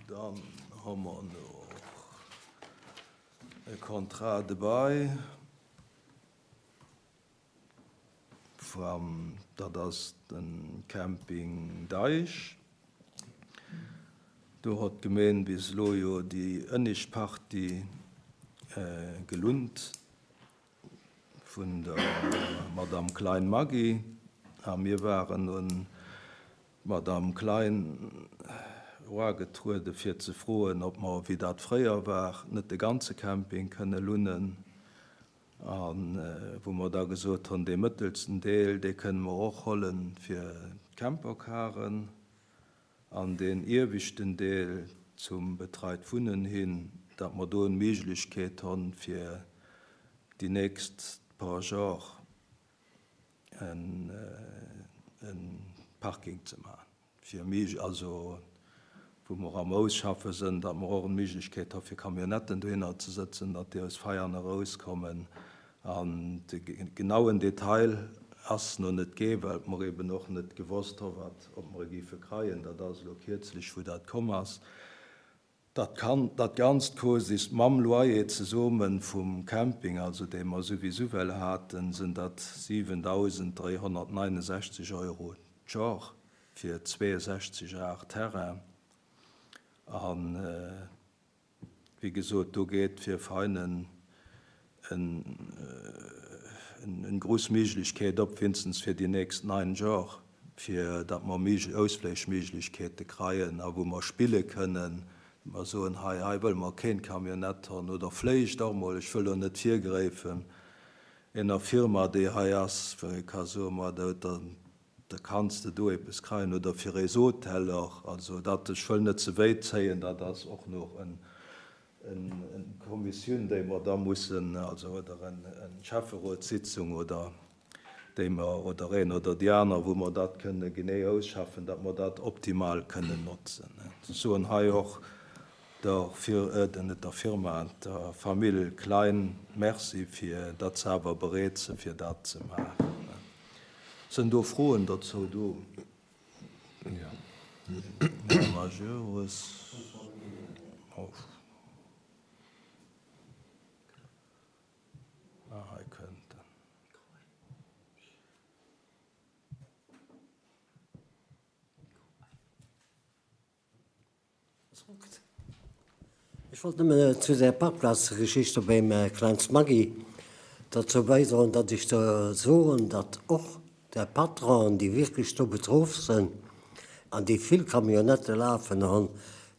Dann hu mer nach e Contrat de bail vam, dat ass de Camping Deich. Do hott d'Gemeen bis elo jo déi ënnischt Partie gelunnt vun der Madame Klein Maggy a mir waren un d'Madame Klein eragetruede fir ze froen, ob mer, wéi dat fréier war, net de ganze Camping kënne lunnen. A wou mer da gesot hunn, dee mëttelsten Deel, dee kënne mer och holle fir d'Campercaren an deen ieweschten Deel zum betreit Wunnen hin, datt mer do d'Méiglechkeet hunn, fir déi nächst paar Jor e Parking ze maachen, fir méi, also wou mer am Ausschaffe sënn, datt mer och d'Méiglechkeet hu fir Camionnetten dohinner ze sëtzen, datt déi aus Veianen erauskommen. An de genauen Detail ass no net gee, well mer eben och net gewosst hu wat, ob mer e géife kreien. Dat ass elo kierzlech, wou dat komm ass. Dat kann, dat Ganzt kost is mam Loyer zesomen vum Camping, also dee mer souwisou well haten, sen dat 7.369 Euro d'Jor fir 62 Ar Terrain. An Wéi gesot, do geet fir Veinen eng grouss Méiglechkeet op, winstens fir déi nächst 9 Jor, fir datt mer Ausfléichméiglechkeete kreien a wou mer spille kënnen, datt mer soen, hei, hei wëlle mer keen Camionnette honn oder vléicht och mol, ech wëll elo net virgräifen, ener Firma, déi hei ass, wou ee ka soen, ma da huet der Da kanns de do eppes kreien oder fir eis Hoteller. Also dat, ech wëll net ze wéit zéien, dat ass och nach en Kommissioun, déi mer da mussen, also oder en Schäfferotssitzung oder déi mer, oder een oder déi aner, wou mer dat kënne genee ausschaffen, datt mer dat optimal kënnen notzen. Ech soen hei och der Fir, net der Firma, der Famill Klein Merci fir datt se awer bereet se fir dat ze maachen. Sënn do Froen dozou do? Här Majerus. Ah, hei kënnt en. Ech wollt nëmmen zu där Parkplazgeschicht do beim Kleins Maggy derzou bäidroen, datt ech do soen, datt och der Patronen, déi wierklech do betroff sënn an déi vill Camionnettë lafen hunn,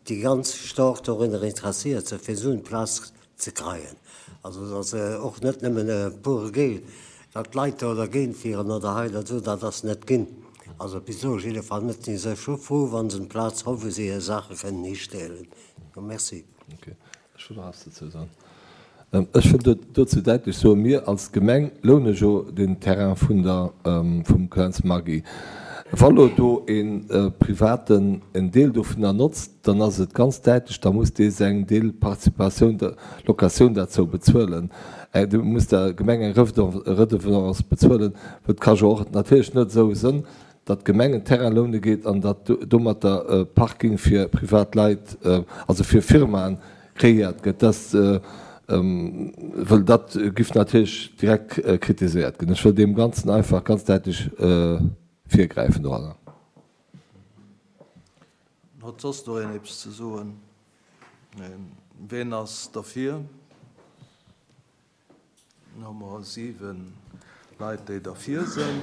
déi ganz staark dorunner interessiert sënn, fir esou eng Plaz ze kreien. Also et ass och net nëmmen e pure Geel, datt d'Leit do dergéint wieren oder hei oder do, dat ass net ginn. Also bis elo jiddefalls net. Si si scho frou, wa se eng Plaz hu wou se hir Saache kënnen histellen. Jo, merci. Ok, ech wëll nach eppes dozou soen. Ech wëll dozou däitlech soen, Mir als Gemeng loune jo den Terrain vun der, vum Klänz Maggy. Wa lo do ee Privaten en Deel dovunner notzt, dann ass et ganz däitlech, da muss dee seng Deelparticipatioun der Locatioun derzou bezuelen. Dee muss der Gemeng eng Redevance bezuelen, well et ka jo och natierlech net esou sënn, datt d'Gemeng en Terrain loune geet an datt domatter e Parking fir privat Leit, also fir Firmaen kreéiert gëtt. Dat, wëll dat giff natierlech direkt kritiséiert ginn. Ech wëll deem Ganzen einfach ganz däitlech virgräifen doranner. Huet soss do een eppes ze soen? Neen. Ween ass derfir? Dann hu mer 7 Leit, déi derfir sinn.